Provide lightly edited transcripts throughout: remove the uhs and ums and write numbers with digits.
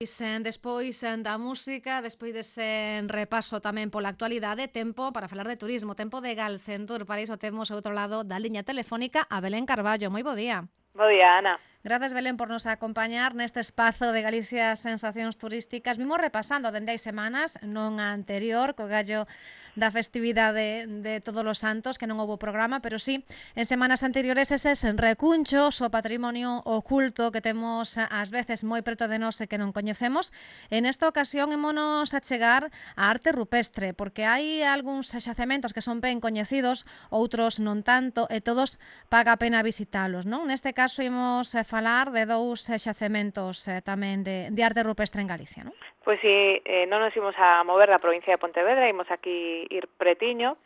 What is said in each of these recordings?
Despois da música, despois dese repaso tamén pola actualidade, tempo para falar de turismo, tempo de Galsentur. Para iso temos ao outro lado da liña telefónica a Belén Carballo. Moi bo día. Bo día, Ana. Grazas, Belén, por nos acompañar neste espazo de Galicia Sensacións Turísticas. Vimos repasando dende hai semanas, non a anterior, co gallo da festividade de Todos os Santos, que non houbo programa, pero sí, en semanas anteriores eses recunchos, o patrimonio oculto que temos ás veces moi preto de nós e que non coñecemos. En esta ocasión émonos a chegar á arte rupestre, porque hai algúns xacementos que son ben coñecidos, outros non tanto, e todos paga a pena visitalos, non? Neste caso imos falar de dous xacementos tamén de arte rupestre en Galicia, non? Pois si, non nos imos a mover da provincia de Pontevedra, imos aquí ir pretiño.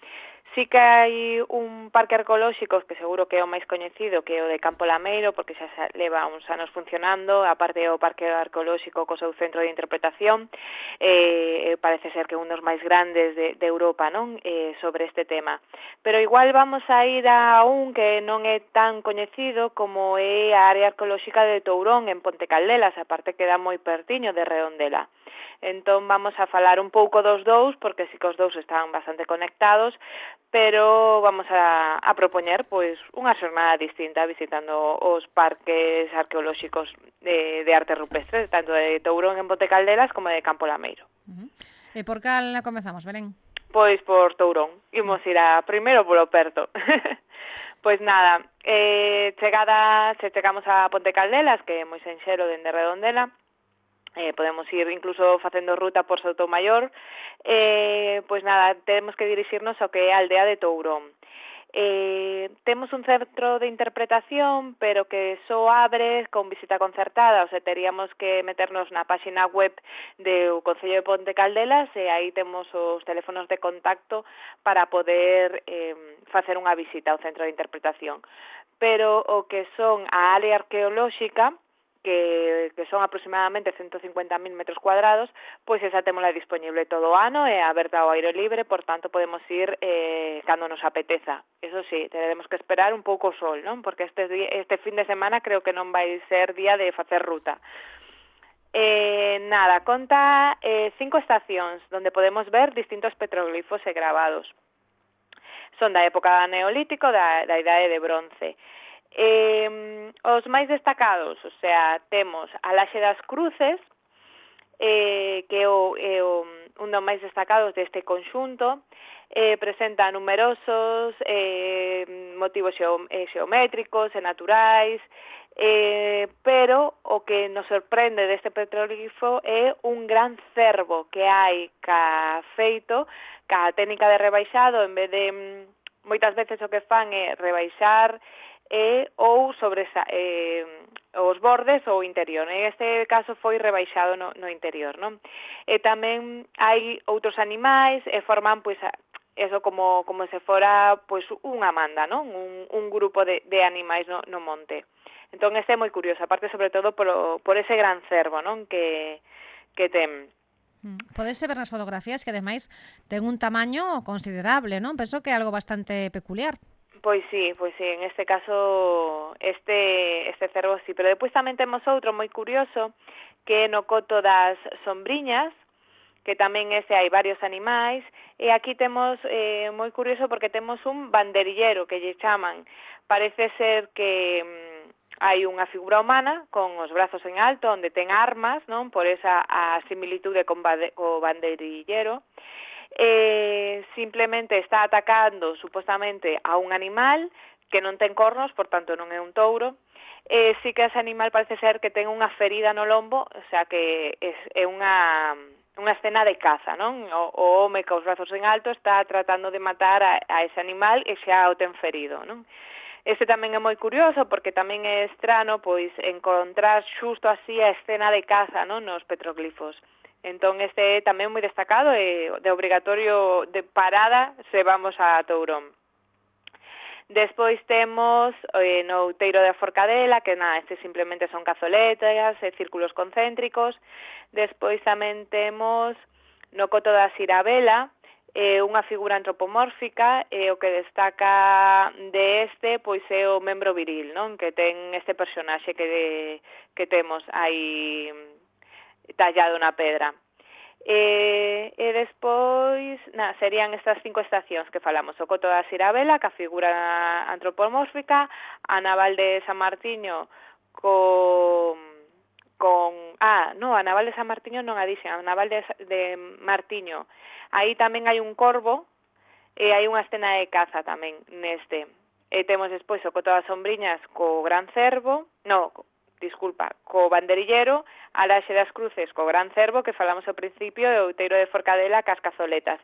Sí que hai un parque arqueolóxico que seguro que é o máis coñecido, que é o de Campo Lameiro, porque xa leva uns anos funcionando, aparte o parque arqueolóxico co seu centro de interpretación, parece ser que un dos máis grandes de Europa, non? Sobre este tema. Pero igual vamos a ir a un que non é tan coñecido como é a área arqueolóxica de Tourón, en Ponte Caldelas, aparte queda moi pertiño de Redondela. Entón vamos a falar un pouco dos dous, porque sí que os dous están bastante conectados, pero vamos a propoñer pois unha xornada distinta visitando os parques arqueolóxicos de arte rupestre, tanto de Tourón en Ponte Caldelas como de Campo Lameiro. E por cal comezamos, Belén? Pois por Tourón. Imos ir a primeiro polo perto. Pois nada, chegamos a Ponte Caldelas, que é moi senxero dende Redondela. Podemos ir incluso facendo ruta por Soutomaior. Pois nada, temos que dirixirnos ao que é a aldea de Tourón. Temos un centro de interpretación, pero que só abre con visita concertada, o sea, teríamos que meternos na páxina web do Concello de Ponte Caldelas e aí temos os teléfonos de contacto para poder facer unha visita ao centro de interpretación. Pero o que son a área arqueolóxica, que son aproximadamente 150.000 metros cuadrados, pois esa témola disponible todo o ano e aberta ao aire libre, por tanto podemos ir cando nos apeteza. Eso sí, teremos que esperar un pouco o sol, non? Porque este fin de semana creo que non vai ser día de facer ruta. Nada, conta 5 estacións onde podemos ver distintos petroglifos e gravados. Son da época neolítico, da idade de bronce. Os máis destacados, o sea, temos a Laxe das Cruces, que é un dos máis destacados deste conxunto. Presenta numerosos motivos xeométricos e naturais, pero o que nos sorprende deste petroglifo é un gran cervo que hai ca técnica de rebaixado, en vez de moitas veces o que fan é rebaixar ou sobre os bordes ou o interior. En este caso foi rebaixado no interior, non? E tamén hai outros animais e forman pois eso como se fora pois unha manda, non? Un grupo de animais no monte. Entón este é moi curioso, aparte sobre todo por ese gran cervo, non? Que ten. Podese ver nas fotografías que ademais ten un tamaño considerable, non? Penso que é algo bastante peculiar. Pois sí, en este caso este cervo sí, pero depois tamén temos outro moi curioso que é no coto das Sombriñas, que tamén hai varios animais, e aquí temos moi curioso porque temos un banderillero que lle chaman. Parece ser que hai unha figura humana con os brazos en alto onde ten armas, non? Por esa a similitude co banderillero. Simplemente está atacando supostamente a un animal que non ten cornos, por tanto non é un touro. Sí que ese animal parece ser que ten unha ferida no lombo, o sea que é unha escena de caza, non? O home cos brazos en alto está tratando de matar a ese animal e xa o ten ferido, non? Este tamén é moi curioso porque tamén é estrano pois encontrar xusto así a escena de caza, non? Nos petroglifos. Entón este é tamén moi destacado e de obrigatorio de parada se vamos a Tourón. Despois temos no outeiro da Forcadela, que nada, este simplemente son cazoletas e círculos concéntricos. Despois tamén temos no coto da Sirabela, unha figura antropomórfica, e o que destaca de este pois é o membro viril, non? Que ten este personaxe que temos aí tallado na pedra. E despois, serían estas 5 estacións que falamos: o Coto da Sirabela, ca figura antropomórfica, a Naval de San Martiño a Naval de San Martiño non a dixen, a Naval de Martiño. Aí tamén hai un corvo e hai unha escena de caza tamén neste. E temos despois o Coto das Sombriñas co Gran Cervo, co Banderillero, a Laxe das Cruces co Gran Cervo, que falamos ao principio, e o Outeiro de Forcadela cas cazoletas.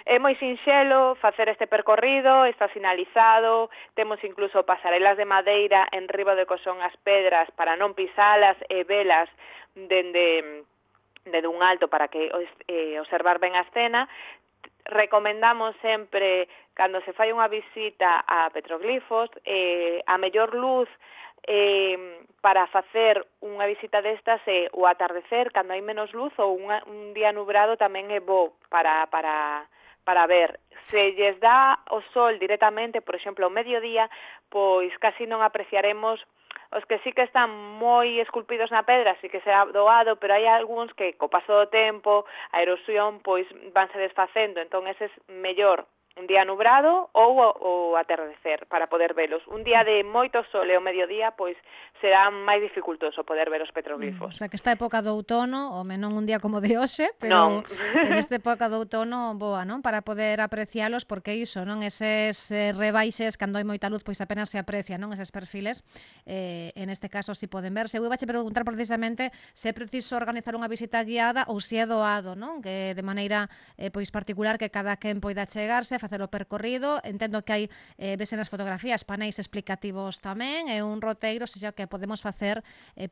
É moi sinxelo facer este percorrido, está sinalizado, temos incluso pasarelas de madeira en riba de cosón as pedras para non pisalas e velas dende un alto para que observar ben a escena. Recomendamos sempre, cando se fai unha visita a petroglifos, a mellor luz para facer unha visita destas é o atardecer, cando hai menos luz, ou un día nubrado tamén é bo para ver. Se lles dá o sol directamente, por exemplo, ao mediodía, pois casi non apreciaremos os que sí que están moi esculpidos na pedra, sí que será doado, pero hai algúns que co paso do tempo, a erosión, pois vanse desfacendo, entón ese é mellor un día nubrado ou o atardecer para poder velos. Un día de moito sol e o mediodía, pois será máis dificultoso poder ver os petroglifos. O sea, que esta época do outono, home non un día como de hoxe, pero nesta época do outono boa, non? Para poder aprecialos, porque iso, non? Eses rebaixes, cando hai moita luz, pois apenas se aprecia, non? Eses perfiles, en este caso si poden verse. Eu iba a preguntar precisamente se é preciso organizar unha visita guiada ou se é doado, non? Que de maneira pois particular que cada quen poida chegarse, facer o percorrido. Entendo que hai, vese nas fotografías, paneis explicativos tamén, e un roteiro, xa que podemos facer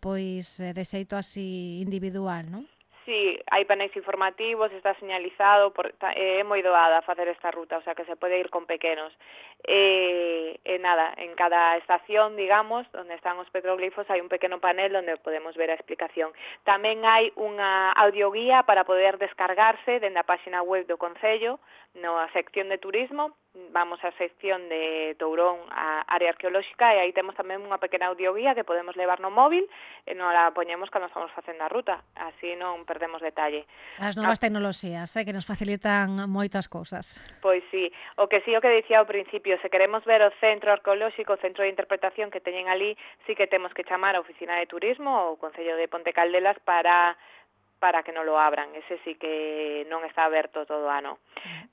pois de xeito así individual, non? Sí, hai paneis informativos, está señalizado, é moi doada facer esta ruta, o sea que se pode ir con pequenos. En cada estación, digamos, onde están os petroglifos, hai un pequeno panel onde podemos ver a explicación. Tamén hai unha audioguía para poder descargarse dende a páxina web do Concello, na sección de turismo, vamos á sección de Tourón, a área arqueolóxica, e aí temos tamén unha pequena audioguía que podemos levar no móvil e non la poñemos cando estamos facendo a ruta, así non perdemos detalle. As novas tecnoloxías, que nos facilitan moitas cousas. Pois sí, o que dicía ao principio, se queremos ver o centro arqueolóxico, o centro de interpretación que teñen ali, sí que temos que chamar a oficina de turismo ou o Concello de Ponte Caldelas para que non lo abran. Ese sí que non está aberto todo o ano.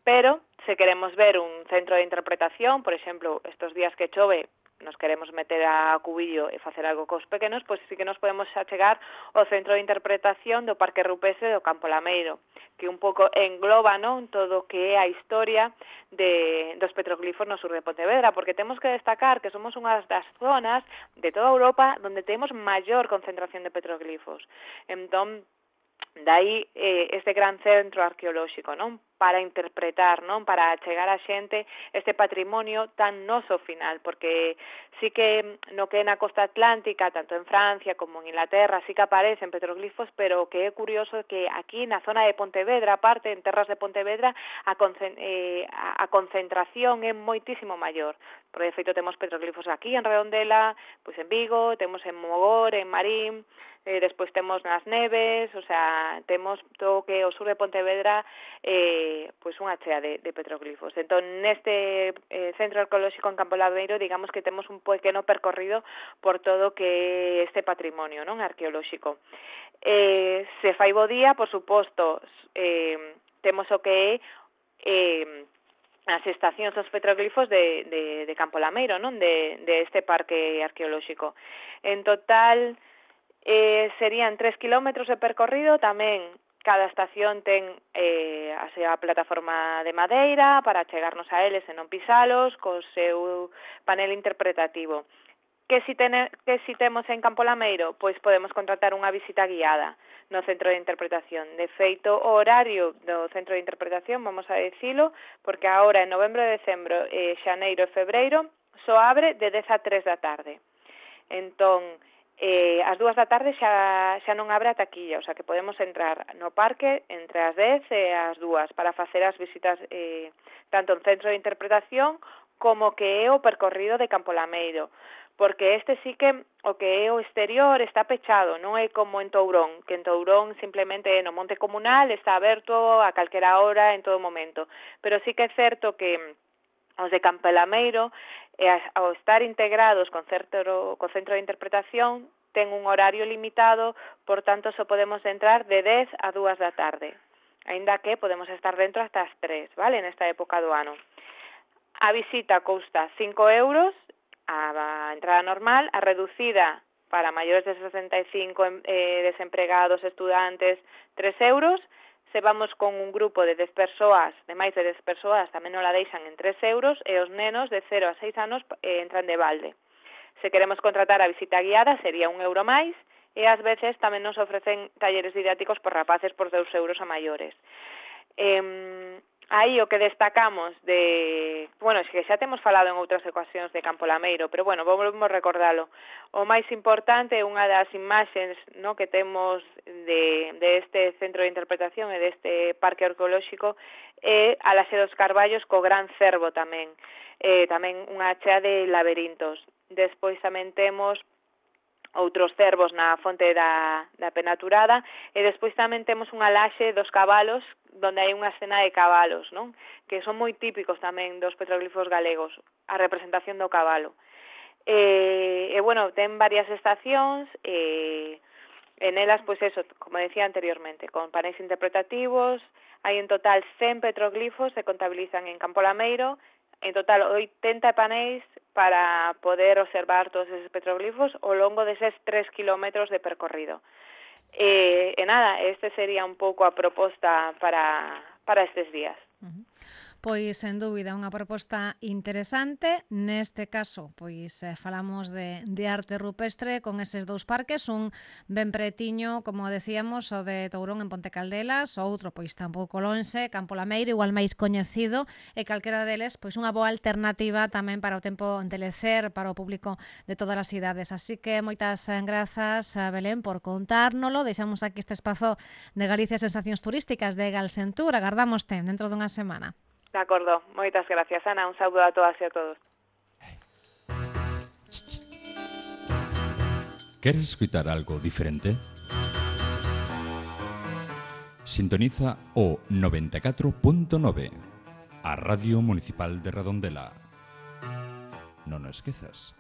Pero, se queremos ver un centro de interpretación, por exemplo, estos días que chove, nos queremos meter a Cubillo e facer algo cos pequenos, pois sí que nos podemos achegar ao centro de interpretación do Parque Rupestre do Campo Lameiro, que un pouco engloba, non, todo o que é a historia dos petroglifos no sur de Pontevedra, porque temos que destacar que somos unha das zonas de toda Europa onde temos maior concentración de petroglifos. Entón, dai este gran centro arqueolóxico, non? Para interpretar, non? Para chegar a xente este patrimonio tan noso final, porque sí que no que é na costa atlántica, tanto en Francia como en Inglaterra, sí que aparecen petroglifos, pero que é curioso que aquí na zona de Pontevedra, aparte, en terras de Pontevedra, a concentración é moitísimo maior. Por de feito, temos petroglifos aquí en Redondela, pois en Vigo, temos en Mogor, en Marín, despois temos nas Neves, o sea, temos todo que o sur de Pontevedra pois unha chea de petroglifos. Entón, neste centro arqueolóxico en Campo Lameiro, digamos que temos un pequeno percorrido por todo que este patrimonio, non, arqueolóxico. Se fai bo día, por suposto, temos o que é as estacións dos petroglifos de Campo Lameiro, non, de este parque arqueolóxico. En total, serían 3 kilómetros de percorrido. Tamén cada estación ten a plataforma de madeira para chegarnos a eles e non pisalos, co seu panel interpretativo. Que si temos en Campo Lameiro? Pois podemos contratar unha visita guiada no centro de interpretación. De feito, o horario do centro de interpretación, vamos a decilo, porque agora en novembro, decembro, xaneiro e febreiro, só abre de 10 a 3 da tarde. Entón, ás 2 da tarde xa non abre a taquilla, o sea que podemos entrar no parque entre as 10 e as 2 para facer as visitas tanto en centro de interpretación como que é o percorrido de Campo Lameiro. porque este sí que o que é o exterior está pechado, non é como en Tourón, que en Tourón simplemente no monte comunal está aberto a calquera hora en todo momento, pero sí que é certo que os de Campelameiro, ao estar integrados con centro de interpretación, ten un horario limitado, por tanto só podemos entrar de 10 a 2 da tarde, aínda que podemos estar dentro hasta as 3, vale, nesta época do ano. A visita custa 5 euros, a entrada normal, a reducida para maiores de 65, desempregados, estudantes, 3 euros. Se vamos con un grupo de 10 persoas, de máis de 10 persoas, tamén non la deixan en 3 euros, e os nenos de 0 a 6 anos entran de balde. Se queremos contratar a visita guiada, sería 1 euro máis, e ás veces tamén nos ofrecen talleres didácticos por rapaces por 2 euros a maiores. Aí o que destacamos bueno, es que xa temos falado en outras ocasións de Campolameiro, pero bueno, volvemos recordalo. O máis importante, unha das imaxes, no, que temos de este centro de interpretación e deste parque arqueolóxico é a Laxe dos Carballos co gran cervo tamén. Tamén unha chea de laberintos. Despois tamén temos outros cervos na fonte da Penaturada, e despois tamén temos unha laxe dos cabalos, donde hai unha escena de cabalos, non? Que son moi típicos tamén dos petroglifos galegos, a representación do cabalo. Bueno, ten varias estacións, en elas, pois eso, como decía anteriormente, con paneis interpretativos, hai en total 100 petroglifos, se contabilizan en Campolameiro, en total 80 paneis para poder observar todos esos petroglifos ao longo deses 3 kilómetros de percorrido. Nada, este sería un pouco a proposta para estes días. Pois, sen dúbida, unha proposta interesante. Neste caso, pois, falamos de arte rupestre con eses dous parques, un ben pretiño, como decíamos, o de Tourón en Ponte Caldelas, o outro, pois, tampouco lonxe, Campolameiro, igual máis coñecido, e calquera deles, pois, unha boa alternativa tamén para o tempo de lecer para o público de todas as idades. Así que moitas grazas, Belén, por contárnolo. Deixamos aquí este espazo de Galicia Sensacións Turísticas de Galsentur. Agardámoste dentro dunha semana. De acordo, moitas gracias, Ana. Un saúdo a todas e a todos. Queres escutar algo diferente? Sintoniza o 94.9, a Radio Municipal de Redondela. Non o esquezas.